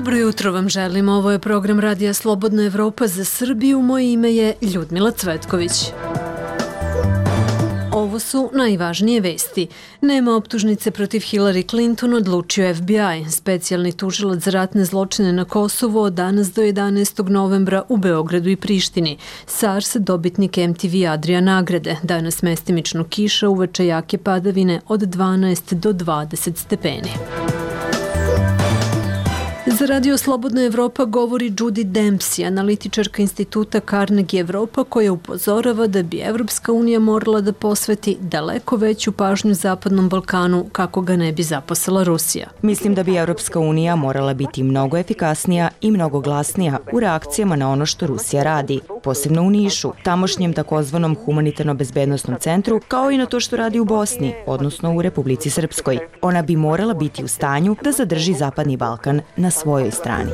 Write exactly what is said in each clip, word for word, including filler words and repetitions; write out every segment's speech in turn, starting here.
Dobro jutro vam želim. Ovo je program Radija Slobodna Evropa za Srbiju. Moje ime je Ljudmila Cvetković. Ovo su najvažnije vesti. Nema optužnice protiv Hillary Clinton, odlučio F B I. Specijalni tužilac za ratne zločine na Kosovu od danas do jedanaestog novembra u Beogradu i Prištini. SARS dobitnik M T V Adria nagrade. Danas mestimično kiša, uveče jake padavine od dvanaest do dvadeset stepeni. Za Radio Slobodna Evropa govori Judy Dempsey, analitičarka instituta Carnegie Evropa, koja upozorava da bi Evropska unija morala da posveti daleko veću pažnju Zapadnom Balkanu kako ga ne bi zaposela Rusija. Mislim da bi Evropska unija morala biti mnogo efikasnija i mnogo glasnija u reakcijama na ono što Rusija radi, posebno u Nišu, tamošnjem takozvanom humanitarno-bezbednostnom centru, kao i na to što radi u Bosni, odnosno u Republici Srpskoj. Ona bi morala biti u stanju da zadrži Zapadni Balkan na svojoj strani.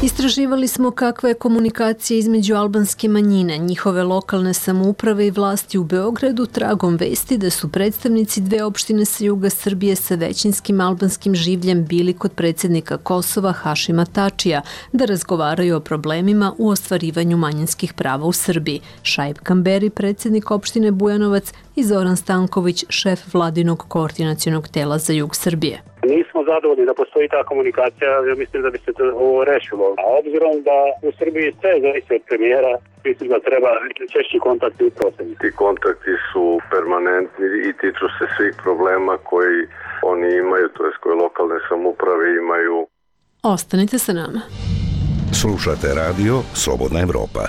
Istraživali smo kakva je komunikacija između albanske manjine, njihove lokalne samouprave i vlasti u Beogradu tragom vesti da su predstavnici dve opštine sa juga Srbije sa većinskim albanskim življem bili kod predsjednika Kosova Hašima Tačija da razgovaraju o problemima u ostvarivanju manjinskih prava u Srbiji. Šaip Kamberi, predsjednik opštine Bujanovac, i Zoran Stanković, šef vladinog koordinacionog tela za jug Srbije. Nismo zadovoljni da postoji ta komunikacija, ja mislim da bi se to ovo rešilo. A obzirom da u Srbiji sve zavisi od premijera, mislim da treba češći kontakti u prosedu. Ti kontakti su permanentni i tiču se svih problema koji oni imaju, to jest koje lokalne samouprave imaju. Ostanite sa nama. Slušate radio Slobodna Evropa.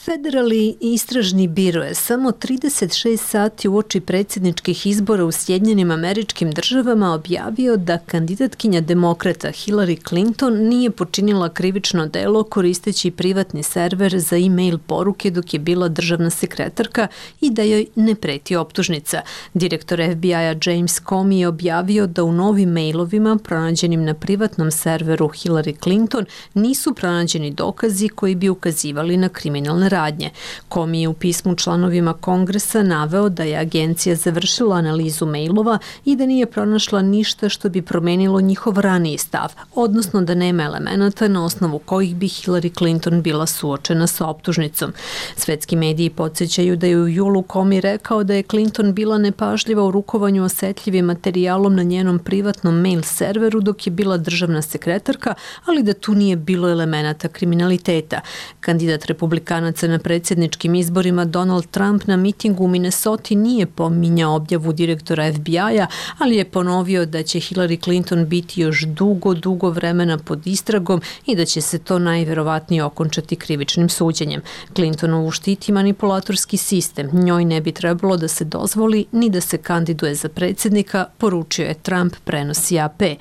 Federalni istražni biro je samo trideset šest sati uoči predsjedničkih izbora u Sjedinjenim Američkim Državama objavio da kandidatkinja demokrata Hillary Clinton nije počinila krivično delo koristeći privatni server za e-mail poruke dok je bila državna sekretarka i da joj ne preti optužnica. Direktor F B I-a James Comey je objavio da u novim mailovima pronađenim na privatnom serveru Hillary Clinton nisu pronađeni dokazi koji bi ukazivali na kriminalne radnje. Comey je u pismu članovima Kongresa naveo da je agencija završila analizu mailova i da nije pronašla ništa što bi promenilo njihov raniji stav, odnosno da nema elemenata na osnovu kojih bi Hillary Clinton bila suočena sa optužnicom. Svetski mediji podsjećaju da je u julu Comey rekao da je Clinton bila nepažljiva u rukovanju osetljivim materijalom na njenom privatnom mail serveru dok je bila državna sekretarka, ali da tu nije bilo elemenata kriminaliteta. Kandidat republikanaca na predsjedničkim izborima Donald Trump na mitingu u Minnesoti nije pominjao objavu direktora F B I-a, ali je ponovio da će Hillary Clinton biti još dugo, dugo vremena pod istragom i da će se to najverovatnije okončati krivičnim suđenjem. Clintonovu štiti manipulatorski sistem. Njoj ne bi trebalo da se dozvoli ni da se kandiduje za predsjednika, poručio je Trump, prenosi A P.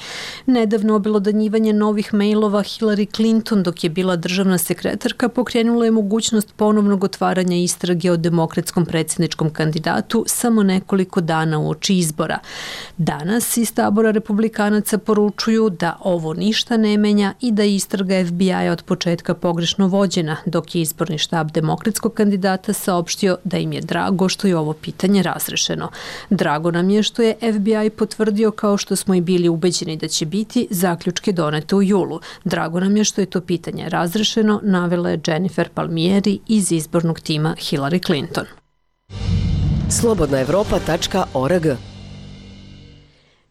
Nedavno obelodanjivanje novih mailova Hillary Clinton dok je bila državna sekretarka pokrenulo je mogućnost ponovnog otvaranja istrage o demokratskom predsjedničkom kandidatu samo nekoliko dana uoči izbora. Danas iz tabora republikanaca poručuju da ovo ništa ne menja i da je istraga F B I-a od početka pogrešno vođena, dok je izborni štab demokratskog kandidata saopštio da im je drago što je ovo pitanje razrešeno. Drago nam je što je F B I potvrdio, kao što smo i bili ubeđeni da će biti, zaključke donete u julu. Drago nam je što je to pitanje razrešeno, navela je Jennifer Palmieri iz izbornog tima Hillary Clinton. slobodna evropa tačka org.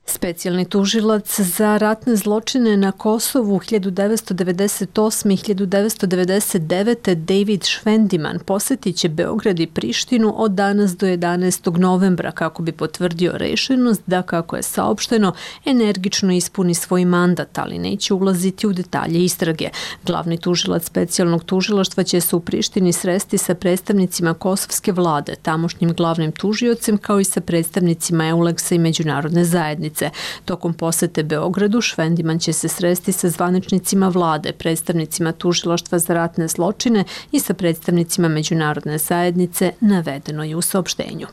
Specijalni tužilac za ratne zločine na Kosovu hiljadu devetsto devedeset osme. i hiljadu devetsto devedeset devete. David Švendiman posjetit će Beograd i Prištinu od danas do jedanaestog novembra kako bi potvrdio rešenost da, kako je saopšteno, energično ispuni svoj mandat, ali neće ulaziti u detalje istrage. Glavni tužilac specijalnog tužilaštva će se u Prištini sresti sa predstavnicima kosovske vlade, tamošnjim glavnim tužiocem, kao i sa predstavnicima Euleksa i međunarodne zajednice. Tokom posete Beogradu, Švendiman će se sresti sa zvaničnicima vlade, predstavnicima tužilaštva za ratne zločine i sa predstavnicima međunarodne zajednice, navedeno je u saopštenju.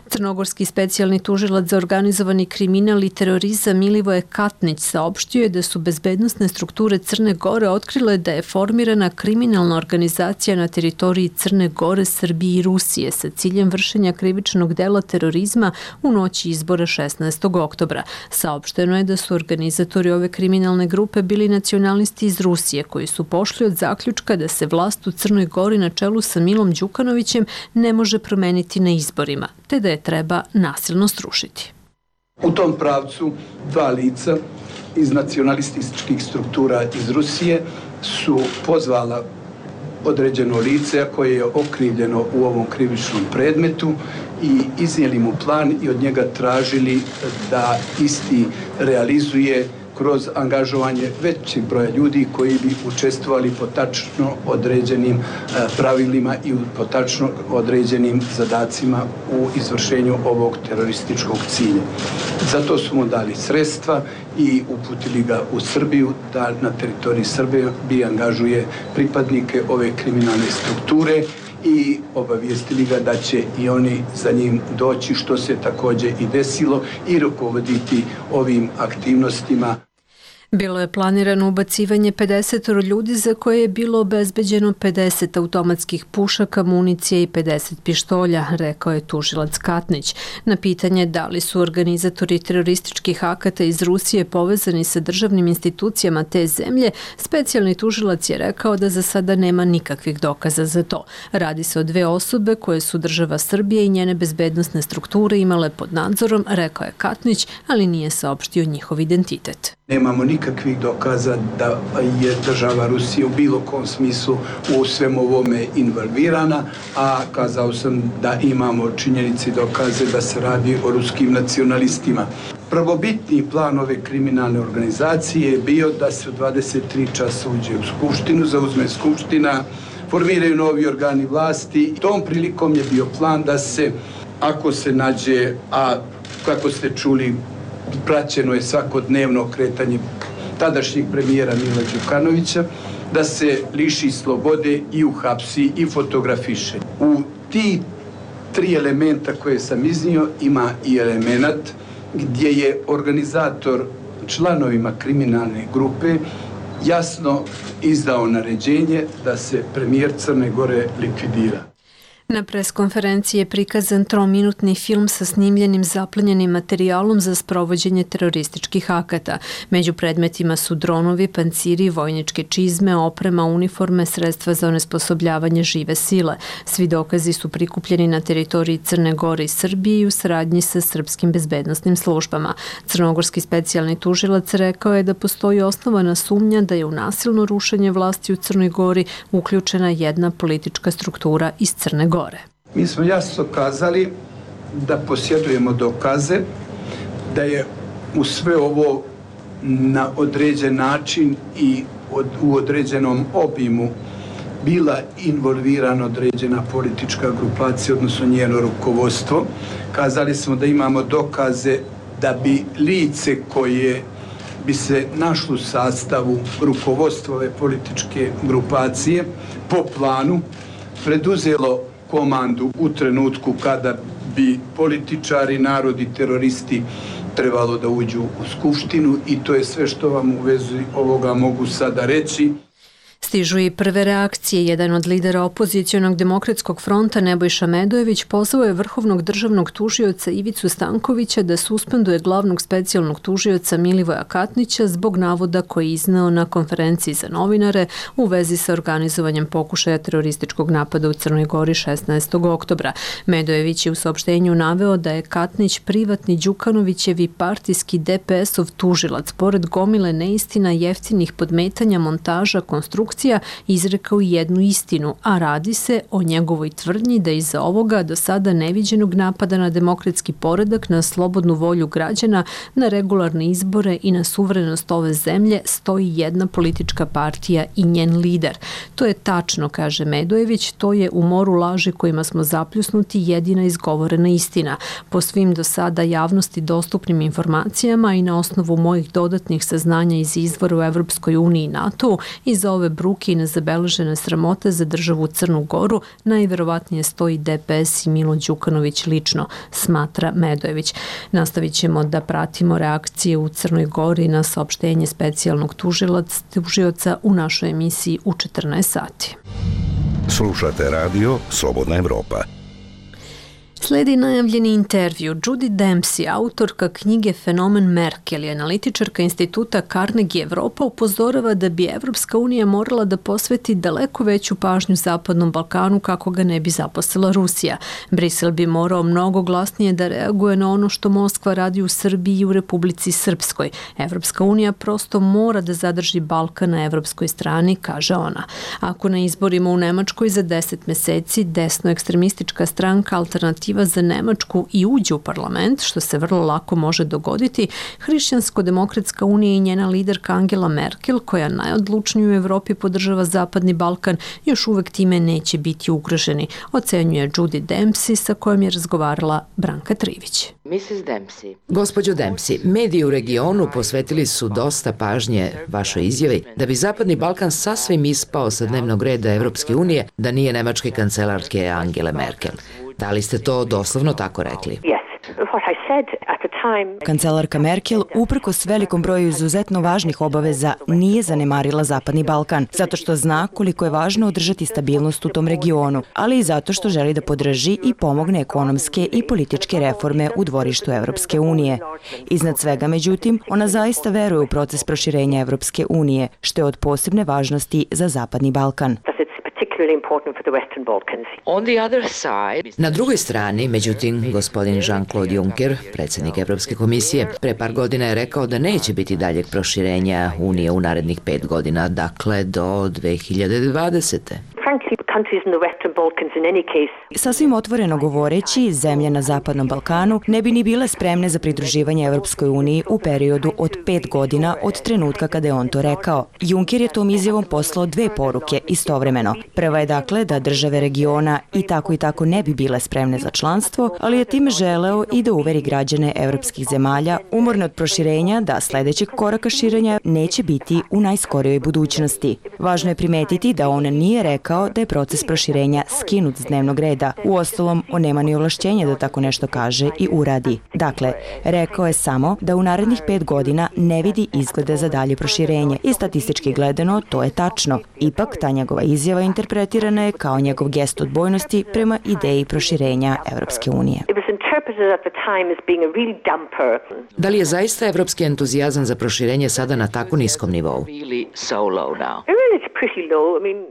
Crnogorski specijalni tužilac za organizovani kriminal i terorizam Milivoje Katnić saopštio je da su bezbednosne strukture Crne Gore otkrile da je formirana kriminalna organizacija na teritoriji Crne Gore, Srbije i Rusije sa ciljem vršenja krivičnog dela terorizma u noći izbora šesnaestog oktobra. oktobra. Saopšteno je da su organizatori ove kriminalne grupe bili nacionalisti iz Rusije koji su pošli od zaključka da se vlast u Crnoj Gori na čelu sa Milom Đukanovićem ne može promeniti na izborima, te da je treba nasilno srušiti. U tom pravcu dva lica iz nacionalističkih struktura iz Rusije su pozvala određeno lice koje je okrivljeno u ovom krivičnom predmetu i iznijeli mu plan i od njega tražili da isti realizuje kroz angažovanje većeg broja ljudi koji bi učestvovali po tačno određenim pravilima i po tačno određenim zadacima u izvršenju ovog terorističkog cilja. Zato su mu dali sredstva i uputili ga u Srbiju da na teritoriji Srbije bi angažuje pripadnike ove kriminalne strukture i obavijestili ga da će i oni za njim doći, što se također i desilo, i rukovoditi ovim aktivnostima. Bilo je planirano ubacivanje pedeset ljudi za koje je bilo obezbeđeno pedeset automatskih pušaka, municije i pedeset pištolja, rekao je tužilac Katnić. Na pitanje da li su organizatori terorističkih akata iz Rusije povezani sa državnim institucijama te zemlje, specijalni tužilac je rekao da za sada nema nikakvih dokaza za to. Radi se o dve osobe koje su država Srbije i njene bezbednosne strukture imale pod nadzorom, rekao je Katnić, ali nije saopštio njihov identitet. Nemamo nikakvih dokaza da je država Rusija u bilo kom smislu u svem ovome involvirana, a kazao sam da imamo činjenici dokaze da se radi o ruskim nacionalistima. Prvobitni plan ove kriminalne organizacije je bio da se u dvadeset tri časa uđe u Skupštinu, zauzme Skupština, formiraju novi organi vlasti. Tom prilikom je bio plan da se, ako se nađe, a kako ste čuli, praćeno je svakodnevno kretanje tadašnjeg premijera Mila Đukanovića, da se liši slobode i uhapsi i fotografiše. U ti tri elementa koje sam iznio ima i element gdje je organizator članovima kriminalne grupe jasno izdao naređenje da se premijer Crne Gore likvidira. Na preskonferenciji je prikazan trominutni film sa snimljenim zaplenjenim materijalom za sprovođenje terorističkih akata. Među predmetima su dronovi, panciri, vojničke čizme, oprema, uniforme, sredstva za onesposobljavanje žive sile. Svi dokazi su prikupljeni na teritoriji Crne Gore i Srbije i u saradnji sa srpskim bezbednosnim službama. Crnogorski specijalni tužilac rekao je da postoji osnovana sumnja da je u nasilno rušenje vlasti u Crnoj Gori uključena jedna politička struktura iz Crne Gore. Mi smo jasno kazali da posjedujemo dokaze da je u sve ovo na određen način i od, u određenom obimu bila involvirana određena politička grupacija, odnosno njeno rukovodstvo. Kazali smo da imamo dokaze da bi lice koje bi se našlo u sastavu rukovodstva ove političke grupacije po planu preduzelo komandu u trenutku kada bi političari, narodi, teroristi trebalo da uđu u Skupštinu, i to je sve što vam u vezi ovoga mogu sada reći. Stižu i prve reakcije. Jedan od lidera opozicionog demokratskog fronta, Nebojša Medojević, pozvao je vrhovnog državnog tužioca Ivicu Stankovića da suspenduje glavnog specijalnog tužioca Milivoja Katnića zbog navoda koji je izneo na konferenciji za novinare u vezi sa organizovanjem pokušaja terorističkog napada u Crnoj Gori šesnaestog oktobra. Medojević je u saopštenju naveo da je Katnić privatni Đukanovićevi partijski D P S-ov tužilac, pored gomile neistina, jeftinih podmetanja, montaža, konstrukcija, izrekao jednu istinu, a radi se o njegovoj tvrdnji da iza ovoga do sada neviđenog napada na demokratski poredak, na slobodnu volju građana, na regularne izbore i na suverenost ove zemlje stoji jedna politička partija i njen lider. To je tačno, kaže Medojević, to je u moru laži kojima smo zapljusnuti jedina izgovorena istina. Po svim do sada javnosti dostupnim informacijama i na osnovu mojih dodatnih saznanja iz izvora u Evropskoj uniji i NATO-u, iza ove bruke i nezabeležene sramote za državu Crnu Goru najverovatnije stoji D P S i Milo Đukanović lično, smatra Medojević. Nastavit ćemo da pratimo reakcije u Crnoj Gori na saopštenje specijalnog tužioca u našoj emisiji u četrnaest sati. Slušate radio Slobodna Evropa. Sledi najavljeni intervju. Judy Dempsey, autorka knjige Fenomen Merkel i analitičarka instituta Carnegie Evropa, upozorava da bi Evropska unija morala da posveti daleko veću pažnju Zapadnom Balkanu kako ga ne bi zaposlila Rusija. Brisel bi morao mnogo glasnije da reaguje na ono što Moskva radi u Srbiji i u Republici Srpskoj. Evropska unija prosto mora da zadrži Balkan na evropskoj strani, kaže ona. Ako na izborima u Nemačkoj za deset meseci desno-ekstremistička stranka Alternativa za Nemačku i uđe u parlament, što se vrlo lako može dogoditi, Hrišćansko-demokratska unija i njena liderka Angela Merkel, koja najodlučnije u Evropi podržava Zapadni Balkan, još uvek time neće biti ugroženi, ocenjuje Judy Dempsey, sa kojom je razgovarala Branka Trivić. missus Dempsey. Gospođo Dempsey, mediji u regionu posvetili su dosta pažnje vašoj izjavi da bi Zapadni Balkan sasvim ispao sa dnevnog reda Evropske unije da nije nemačke kancelarke Angele Merkel. Da li ste to doslovno tako rekli? Kancelarka Merkel, uprkos velikom broju izuzetno važnih obaveza, nije zanemarila Zapadni Balkan, zato što zna koliko je važno održati stabilnost u tom regionu, ali i zato što želi da podrži i pomogne ekonomske i političke reforme u dvorištu Evropske unije. Iznad svega, međutim, ona zaista veruje u proces proširenja Evropske unije, što je od posebne važnosti za Zapadni Balkan. Na drugoj strani, međutim, gospodin Jean-Claude Juncker, predsjednik Evropske komisije, pre par godina je rekao da neće biti daljeg proširenja Unije u narednih pet godina, dakle do dve hiljade dvadesete. Sasvim otvoreno govoreći, zemlje na Zapadnom Balkanu ne bi ni bile spremne za pridruživanje Evropskoj uniji u periodu od pet godina od trenutka kada je on to rekao. Juncker je tom izjavom poslao dve poruke istovremeno. Prva je dakle da države regiona i tako i tako ne bi bile spremne za članstvo, ali je time želeo i da uveri građane evropskih zemalja umorne od proširenja da sledećeg koraka širenja neće biti u najskorijoj budućnosti. Važno je primetiti da on nije rekao da je proces proširenja skinut s dnevnog reda. Uostalom, on nema ni ovlašćenja da tako nešto kaže i uradi. Dakle, rekao je samo da u narednih pet godina ne vidi izglede za dalje proširenje i statistički gledano to je tačno. Ipak, ta njegova izjava interpretirana je kao njegov gest odbojnosti prema ideji proširenja Evropske unije. Da li je zaista evropski entuzijazam za proširenje sada na tako niskom nivou?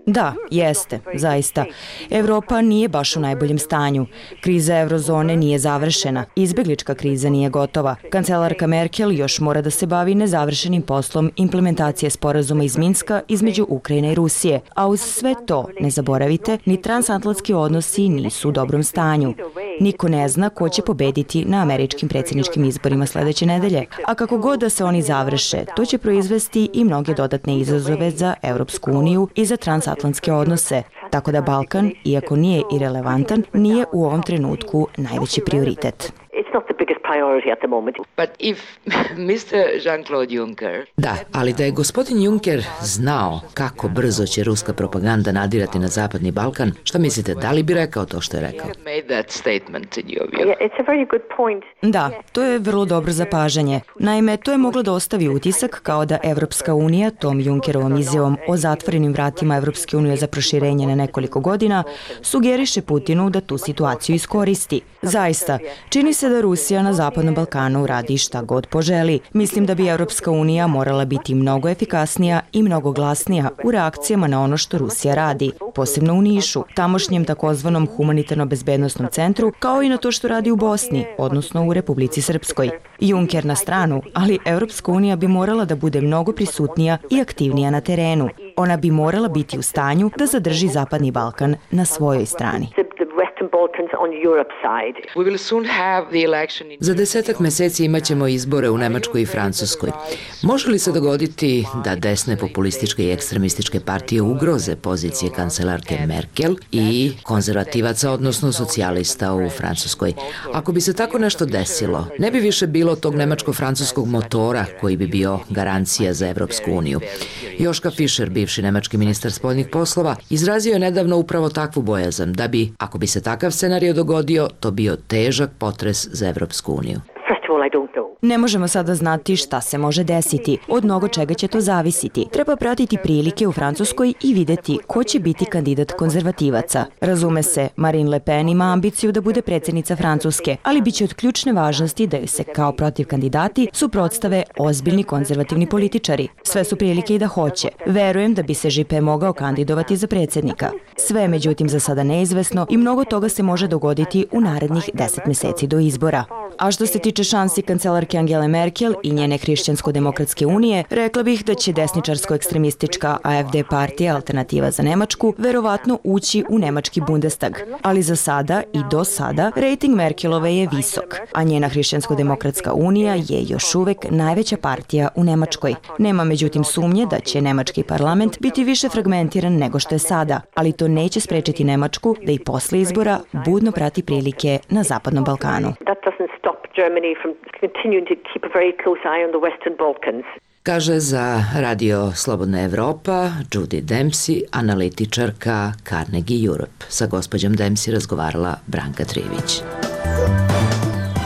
Da, jeste, zaista. Evropa nije baš u najboljem stanju. Kriza eurozone nije završena. Izbeglička kriza nije gotova. Kancelarka Merkel još mora da se bavi nezavršenim poslom implementacije sporazuma iz Minska između Ukrajine i Rusije. A uz sve to, ne zaboravite, ni transatlantski odnosi nisu u dobrom stanju. Niko ne zna ko će pobediti na američkim predsjedničkim izborima sledeće nedelje. A kako god da se oni završe, to će proizvesti i mnoge dodatne izazove za Evropsku uniju i za transatlantske odnose. Tako da Balkan, iako nije irelevantan, nije u ovom trenutku najveći prioritet. Da, ali da je gospodin Juncker znao kako brzo će ruska propaganda nadirati na Zapadni Balkan, šta mislite, da li bi rekao to što je rekao? Da, to je vrlo dobro zapažanje. Naime, to je moglo da ostavi utisak kao da Evropska unija tom Junckerovom izjavom o zatvorenim vratima Evropske unije za proširenje na nekoliko godina sugeriše Putinu da tu situaciju iskoristi. Zaista, čini se da Rusija na Zapadnom Balkanu radi šta god poželi. Mislim da bi Evropska unija morala biti mnogo efikasnija i mnogo glasnija u reakcijama na ono što Rusija radi, posebno u Nišu, tamošnjem takozvanom humanitarno-bezbednosnom centru, kao i na to što radi u Bosni, odnosno u Republici Srpskoj. Juncker na stranu, ali Evropska unija bi morala da bude mnogo prisutnija i aktivnija na terenu. Ona bi morala biti u stanju da zadrži Zapadni Balkan na svojoj strani. Za desetak meseci imat ćemo izbore u Nemačkoj i Francuskoj. Može li se dogoditi da desne populističke i ekstremističke partije ugroze pozicije kancelarke Merkel i konzervativaca, odnosno socijalista u Francuskoj? Ako bi se tako nešto desilo, ne bi više bilo tog nemačko-francuskog motora koji bi bio garancija za Evropsku uniju. Joška Fischer, bivši nemački ministar spoljnih poslova, izrazio je nedavno upravo takvu bojazan da bi, ako bi se takav scenario dogodio, to bio težak potres za Evropsku uniju. Ne možemo sada znati šta se može desiti. Od mnogo čega će to zavisiti. Treba pratiti prilike u Francuskoj i videti ko će biti kandidat konzervativaca. Razume se, Marine Le Pen ima ambiciju da bude predsjednica Francuske, ali biće od ključne važnosti da joj se kao protiv kandidati suprotstave ozbiljni konzervativni političari. Sve su prilike i da hoće. Verujem da bi se Juppé mogao kandidovati za predsjednika. Sve je međutim za sada neizvesno i mnogo toga se može dogoditi u narednih deset meseci do izbora. A što se tiče šansi kancelarke Angele Merkel i njene Hrišćansko-demokratske unije, rekla bih da će desničarsko-ekstremistička A F D partija Alternativa za Nemačku verovatno ući u nemački Bundestag. Ali za sada i do sada rejting Merkelove je visok, a njena Hrišćansko-demokratska unija je još uvek najveća partija u Nemačkoj. Nema međutim sumnje da će nemački parlament biti više fragmentiran nego što je sada, ali to neće sprečiti Nemačku da i posle izbora budno prati prilike na Zapadnom Balkanu. Kaže za Radio Slobodna Evropa Judy Dempsey, analitičarka Carnegie Europe. Sa gospođom Dempsey razgovarala Branka Trivić.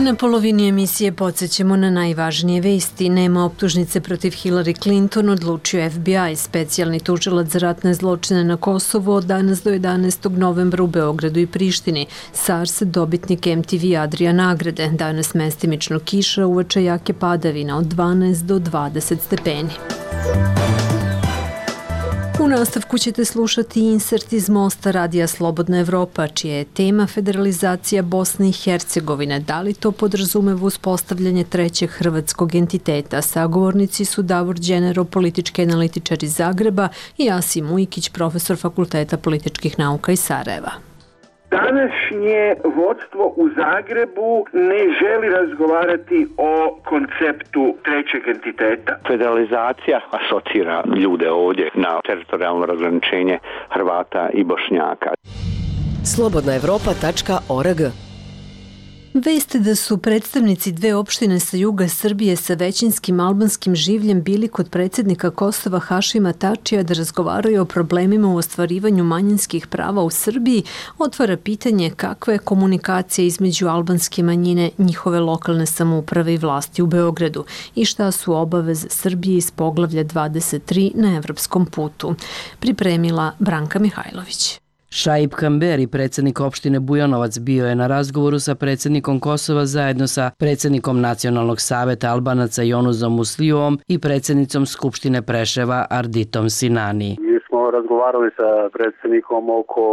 Na polovini emisije podsjećamo na najvažnije vesti. Nema optužnice protiv Hillary Clinton, odlučio F B I. Specijalni tužilac za ratne zločine na Kosovu od danas do jedanaestog novembra u Beogradu i Prištini. SARS dobitnik M T V Adria nagrade. Danas mestimično kiša, uveče jake padavina od dvanaest do dvadeset stepeni. U nastavku ćete slušati insert iz Mosta Radija Slobodna Evropa, čija je tema federalizacija Bosne i Hercegovine. Da li to podrazumeva uspostavljanje trećeg hrvatskog entiteta? Sagovornici su Davor Đenero, politički analitičar iz Zagreba, i Asim Ujkić, profesor Fakulteta političkih nauka iz Sarajeva. Današnje vodstvo u Zagrebu ne želi razgovarati o konceptu trećeg entiteta. Federalizacija asocira ljude ovdje na teritorijalno razgraničenje Hrvata i Bošnjaka. slobodna evropa tačka org. Veste da su predstavnici dve opštine sa juga Srbije sa većinskim albanskim življem bili kod predsjednika Kosova Hašima Tačija da razgovaraju o problemima u ostvarivanju manjinskih prava u Srbiji, otvara pitanje kakva je komunikacija između albanske manjine, njihove lokalne samouprave i vlasti u Beogradu i šta su obaveze Srbije iz poglavlja dvadeset tri na evropskom putu. Pripremila Branka Mihajlović. Šaip Kamberi, predsjednik opštine Bujanovac, bio je na razgovoru sa predsjednikom Kosova zajedno sa predsjednikom Nacionalnog saveta Albanaca Jonuzom Muslijovom i predsjednicom Skupštine Preševa Arditom Sinani. Mi smo razgovarali sa predsjednikom oko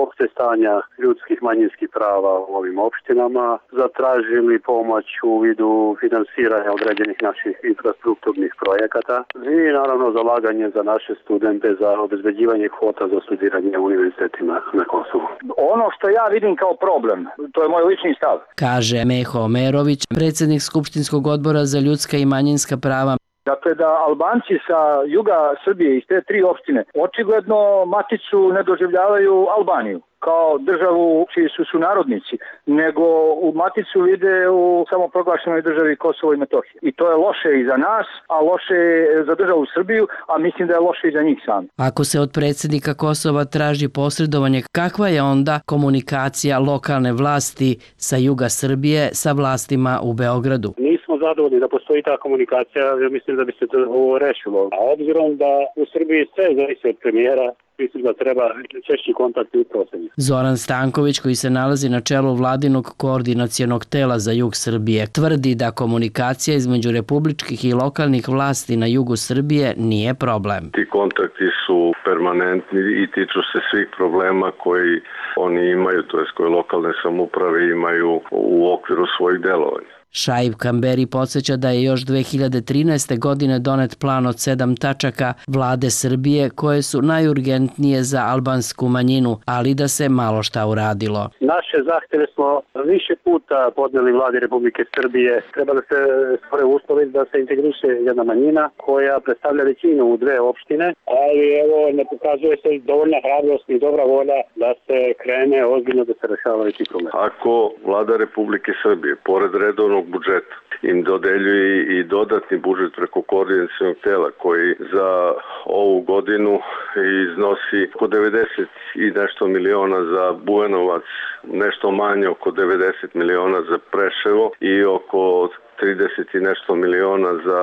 opšte stanja ljudskih manjinskih prava u ovim opštinama, zatražili pomoć u vidu finansiranja određenih naših infrastrukturnih projekata i naravno zalaganje za naše studente za obezbeđivanje kvota za studiranje u univerzitetima na Kosovu. Ono što ja vidim kao problem, to je moj lični stav, kaže Meho Omerović, predsjednik Skupštinskog odbora za ljudska i manjinska prava. Dakle, da Albanci sa juga Srbije iz te tri opštine očigledno maticu ne doživljavaju Albaniju kao državu čiji su sunarodnici, nego u maticu vide u samoproglašenoj državi Kosovo i Metohije. I to je loše i za nas, a loše za državu Srbiju, a mislim da je loše i za njih sami. Ako se od predsjednika Kosova traži posredovanje, kakva je onda komunikacija lokalne vlasti sa juga Srbije sa vlastima u Beogradu? Nismo zadovoljni da postoji ta komunikacija, ja mislim da bi se to ovo rešilo. A obzirom da u Srbiji sve zavisi od premijera, mislim da treba češći kontakti upravo sa njim. Zoran Stanković, koji se nalazi na čelu vladinog koordinacionog tela za jug Srbije, tvrdi da komunikacija između republičkih i lokalnih vlasti na jugu Srbije nije problem. Ti kontakti su permanentni i tiču se svih problema koji oni imaju, to jest koje lokalne samouprave imaju u okviru svojih delovanja. Šaip Kamberi podsjeća da je još dve hiljade trinaeste. godine donet plan od sedam tačaka vlade Srbije koje su najurgentnije za albansku manjinu, ali da se malo šta uradilo. Naše zahtjeve smo više puta podnijeli vladi Republike Srbije. Treba da se stvore uslovi da se integriše jedna manjina koja predstavlja većinu u dve opštine, ali evo ne pokazuje se dovoljna hrabrost i dobra volja da se krene ozbiljno da se rešavaju ti problemi. Ako vlada Republike Srbije pored redovnog budžeta im dodeljuje i dodatni budžet preko koordinacionog tela koji za ovu godinu iznosi oko devedeset i nešto miliona za Bujanovac, nešto manje oko devedeset miliona za Preševo i oko trideset i nešto miliona za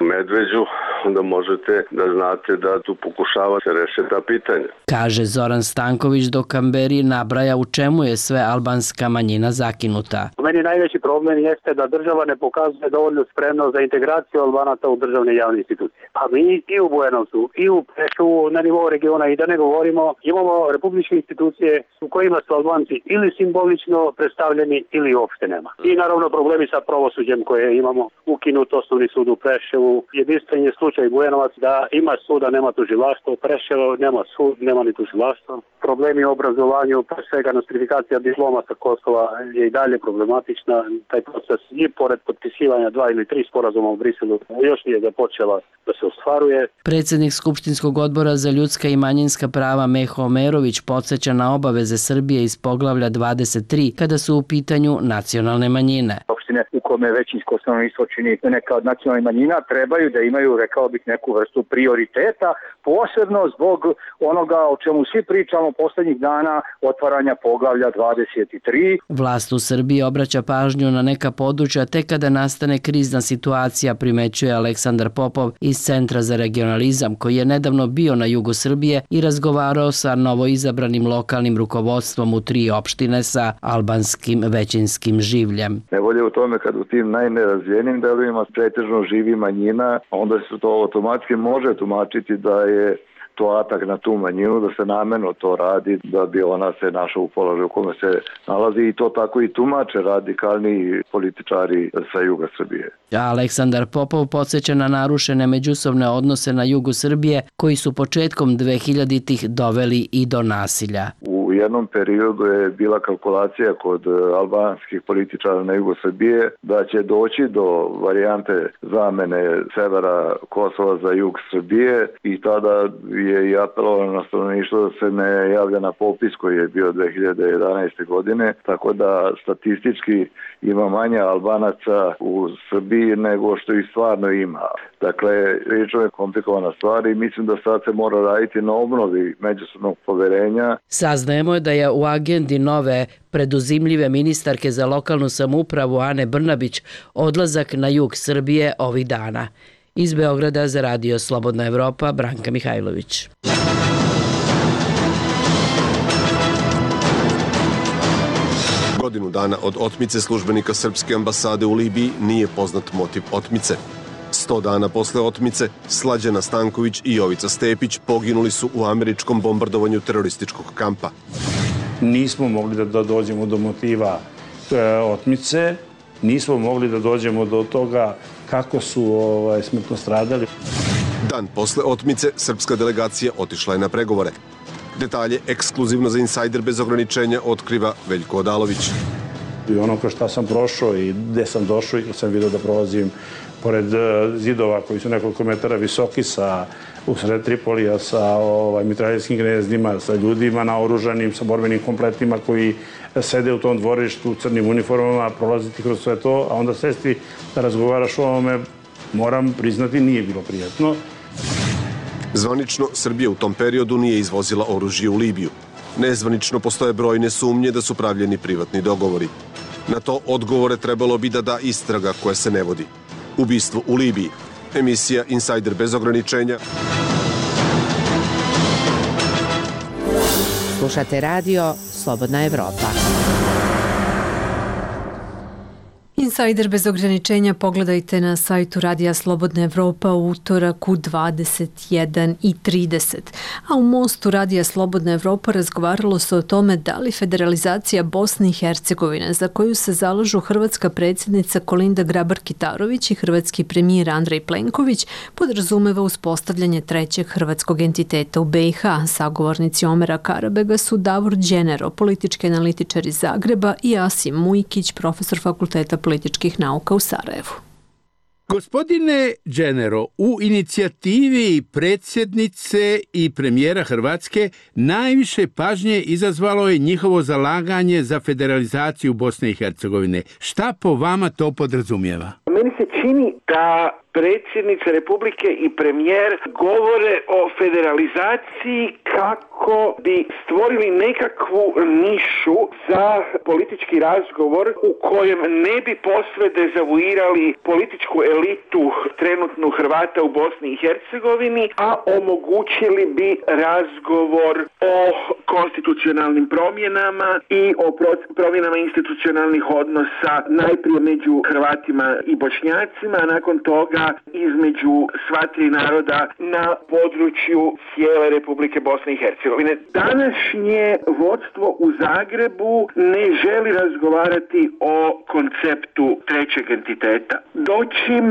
Medveđu, onda možete da znate da tu pokušava se reše ta pitanja. Kaže Zoran Stanković, dok Kamberi nabraja u čemu je sve albanska manjina zakinuta. Meni najveći problem jeste da država ne pokazuje dovoljnu spremnost za integraciju Albanaca u državne javne institucije. A mi i u Bujanovcu, i u Preševu na nivou regiona, i da ne govorimo, imamo republičke institucije u kojima su Albanci ili simbolično predstavljeni ili uopšte nema. I naravno problemi sa pravosuđem koje imamo, ukinut osnovni sud u Preševu, jedinstven je slučaj Bujanovac da ima suda, nema tužilaštvo, Preševo nema sud, nema ni tužilaštvo. Problemi u obrazovanju, pre svega nostrifikacija diploma sa Kosova je i dalje problematična. Taj proces i pored potpisivanja dva ili tri sporazuma u Briselu još nije započela da se ostvaruje. Predsjednik Skupštinskog odbora za ljudska i manjinska prava Meho Omerović podsjeća na obaveze Srbije iz poglavlja dvadeset tri kada su u pitanju nacionalne manjine. Opštine u kome većinsko stanovništvo čini neka od nacionalnih manjina trebaju da imaju, rekao bih, neku vrstu prioriteta, posebno zbog onoga o čemu svi pričamo poslednjih dana, otvaranja poglavlja dvadeset tri. Vlast u Srbiji obraća pažnju na neka područja tek kada nastane krizna situacija, primećuje Aleksandar Popov iz Centra za regionalizam, koji je nedavno bio na jugu Srbije i razgovarao sa novoizabranim lokalnim rukovodstvom u tri opštine sa albanskim većinskim življem. Nevolje u tome kad u tim najnerazvijenim delovima pretežno živi manjina, onda se to automatski može tumačiti da je to atak na tu manjinu, da se namerno to radi, da bi ona se našla u položaju u kome se nalazi, i to tako i tumače radikalni političari sa juga Srbije. Aleksandar Popov podsjeća na narušene međusobne odnose na jugu Srbije koji su početkom dvehiljaditih doveli i do nasilja. U jednom periodu je bila kalkulacija kod albanskih političara na jugu Srbije da će doći do varijante zamene severa Kosova za jug Srbije, i tada je i apelovano na stanovništvo da se ne javlja na popis koji je bio dve hiljade jedanaeste. godine, tako da statistički ima manje Albanaca u Srbiji nego što ih stvarno ima. Dakle, riječno je komplikovana stvar i mislim da sad se mora raditi na obnovi međusobnog poverenja. Saznajemo je da je u agendi nove preduzimljive ministarke za lokalnu samoupravu Ane Brnabić odlazak na jug Srbije ovih dana. Iz Beograda za Radio Slobodna Evropa, Branka Mihajlović. Godinu dana od otmice službenika srpske ambasade u Libiji nije poznat motiv otmice. Sto dana posle otmice, Slađana Stanković i Jovica Stepić poginuli su u američkom bombardovanju terorističkog kampa. Nismo mogli da dođemo do motiva otmice, nismo mogli da dođemo do toga kako su ovaj, smrtno stradali. Dan posle otmice, srpska delegacija otišla je na pregovore. Detalje ekskluzivno za Insajder bez ograničenja otkriva Veljko Odalović. I ono kroz šta sam prošao i gde sam došao i kad sam vidio da prolazim pored zidova koji su nekoliko metara visoki sa usred Tripolija sa ovaj, mitraljevskim gnezdima, sa ljudima naoružanim, sa borbenim kompletima koji sede u tom dvorištu u crnim uniformama, prolaziti kroz sve to, a onda sesti da razgovaraš o ovome, moram priznati, nije bilo prijatno. Zvanično, Srbija u tom periodu nije izvozila oružje u Libiju. Nezvanično postoje brojne sumnje da su pravljeni privatni dogovori. Na to odgovore trebalo bi da da istraga koja se ne vodi. Ubistvo u Libiji. Emisija Insajder bez ograničenja. Slušate radio Slobodna Evropa. Insajder bez ograničenja pogledajte na sajtu Radija Slobodna Evropa u utorak u dvadeset jedan i trideset. A u Mostu Radija Slobodna Evropa razgovaralo se o tome da li federalizacija Bosne i Hercegovine, za koju se zalažu hrvatska predsjednica Kolinda Grabar-Kitarović i hrvatski premijer Andrej Plenković, podrazumeva uspostavljanje trećeg hrvatskog entiteta u be i ha. Sagovornici Omera Karabega su Davor Đenero, politički analitičar iz Zagreba, i Asim Mujkić, profesor fakulteta političkih nauka u Sarajevu. Gospodine Đenero, u inicijativi predsjednice i premijera Hrvatske najviše pažnje izazvalo je njihovo zalaganje za federalizaciju Bosne i Hercegovine. Šta po vama to podrazumijeva? meni se čini da predsjednica Republike i premijer govore o federalizaciji kako bi stvorili nekakvu nišu za politički razgovor u kojem ne bi posve dezavuirali političku elitu trenutnu Hrvata u Bosni i Hercegovini, a omogućili bi razgovor o konstitucionalnim promjenama i o promjenama institucionalnih odnosa najprije među Hrvatima i Bošnjacima, a nakon toga između sva tri naroda na području cijele Republike Bosne i Hercegovine. Današnje vodstvo u Zagrebu ne želi razgovarati o konceptu trećeg entiteta, dočim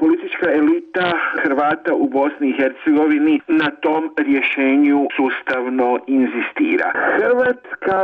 politička elita Hrvata u Bosni i Hercegovini na tom rješenju sustavno inzistira. Hrvatska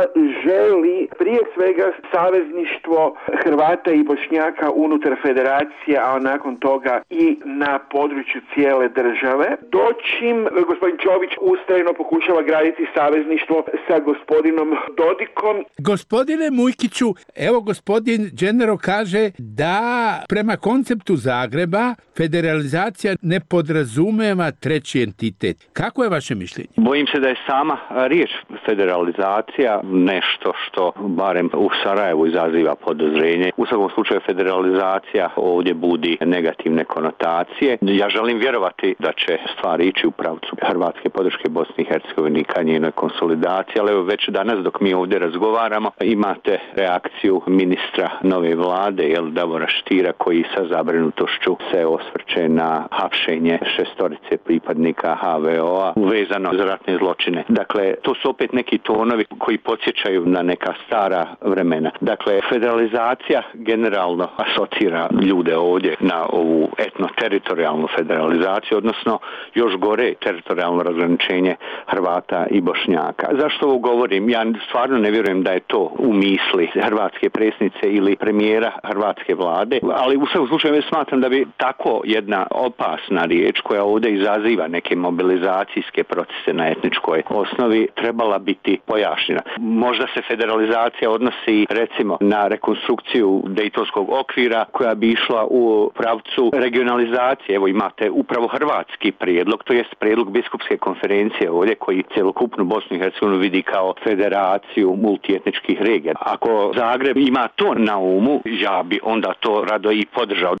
želi prije svega savezništvo Hrvata i Bošnjaka unutar federacije, a nakon toga i na području cijele države, dočim gospodin Čović ustrajno pokušava graditi savezništvo sa gospodinom Dodikom. Gospodine Mujkiću, evo gospodin Dženero kaže da prema konceptu Zagreba federalizacija ne podrazumeva treći entitet. Kako je vaše mišljenje? Bojim se da je sama riječ federalizacija nešto što barem u Sarajevu izaziva podozrenje. U svakom slučaju federalizacija ovdje budi negativne konotacije. Ja želim vjerovati da će stvari ići u pravcu hrvatske podrške Bosni i Hercegovini ka njenoj konsolidaciji, ali evo već danas dok mi ovdje razgovaramo imate reakciju ministra nove vlade, jel, Davora Štira, koji sa zabrinutošću se osvrće na hapšenje šestorice pripadnika H V O-a uvezano za ratne zločine. Dakle, to su opet neki tonovi koji podsjećaju na neka stara vremena. Dakle, federalizacija generalno asocira ljude ovdje na ovu etno-teritorijalnu federalizaciju, odnosno još gore teritorijalno razgraničenje Hrvata i Bošnjaka. Zašto ovo govorim? Ja stvarno ne vjerujem da je to u misli hrvatske predsjednice ili premijera hrvatske vlade, ali u svakom slučaju smatram da bi tako jedna opasna riječ koja ovdje izaziva neke mobilizacijske procese na etničkoj osnovi trebala biti pojašnjena. Možda se federalizacija odnosi recimo na rekonstrukciju Dejtonskog okvira koja bi išla u pravcu regionalizacije. Evo imate upravo hrvatski prijedlog, to jest prijedlog biskupske konferencije ovdje koji cjelokupnu Bosnu i Hercegovinu vidi kao federaciju multietničkih regija. Ako Zagreb ima to na umu, ja bi onda to rado i podržao.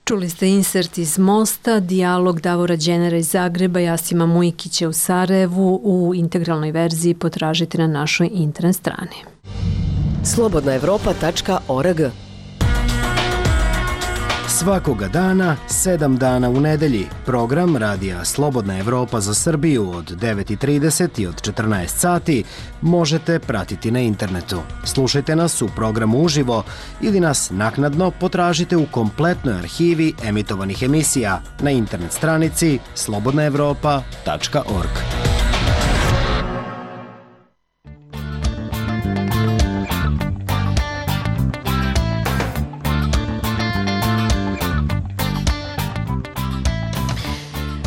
Čuli ste insert iz Mosta, dijalog Davora Dženera iz Zagreba, Jasima Mujkića u Sarajevu. U integralnoj verziji potražite na našoj internet strani. slobodna evropa tačka org. Svakoga dana, sedam dana u nedelji, program radija Slobodna Evropa za Srbiju od devet i trideset i od četrnaest sati možete pratiti na internetu. Slušajte nas u programu uživo ili nas naknadno potražite u kompletnoj arhivi emitovanih emisija na internet stranici slobodna evropa tačka org.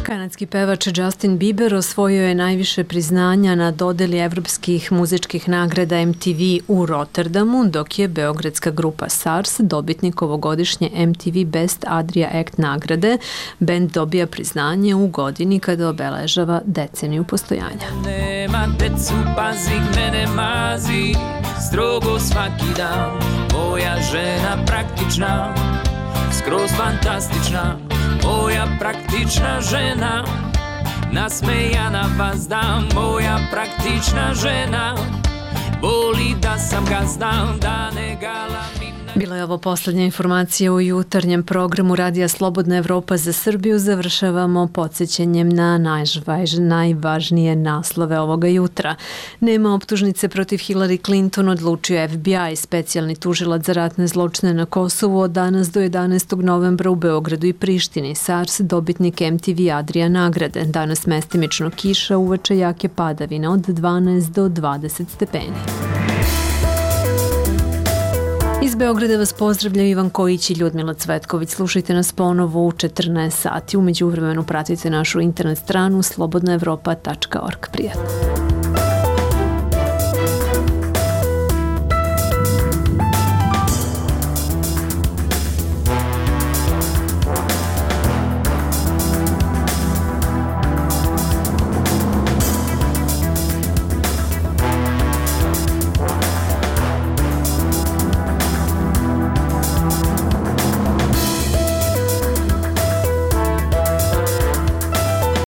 Kanadski pevač Justin Bieber osvojio je najviše priznanja na dodeli evropskih muzičkih nagrada M T V u Rotterdamu, dok je beogradska grupa SARS dobitnik ovogodišnje M T V Best Adria Act nagrade. Bend dobija priznanje u godini kada obeležava deceniju postojanja. Nema decu, pazi, mene mazi, strogo svaki dan, moja žena praktična, skroz fantastična, moja praktična žena, nasmejana vazda, moja praktična žena, boli da sam gazda, da ne galamim. Bila je ovo posljednja informacija u jutarnjem programu Radija Slobodna Evropa za Srbiju. Završavamo podsjećanjem na najvažnije naslove ovoga jutra. Nema optužnice protiv Hillary Clinton, odlučio F B I, specijalni tužilac za ratne zločine na Kosovu od danas do jedanaestog novembra u Beogradu i Prištini. SARS dobitnik M T V Adria nagrade. Danas mestimično kiša, uveče jake padavine od dvanaest do dvadeset stepeni. Iz Beograda vas pozdravljaju Ivan Kojić i Ljudmila Cvetković. Slušajte nas ponovo u četrnaest sati. U međuvremenu pratite našu internet stranu slobodna evropa tačka org. Prijatno.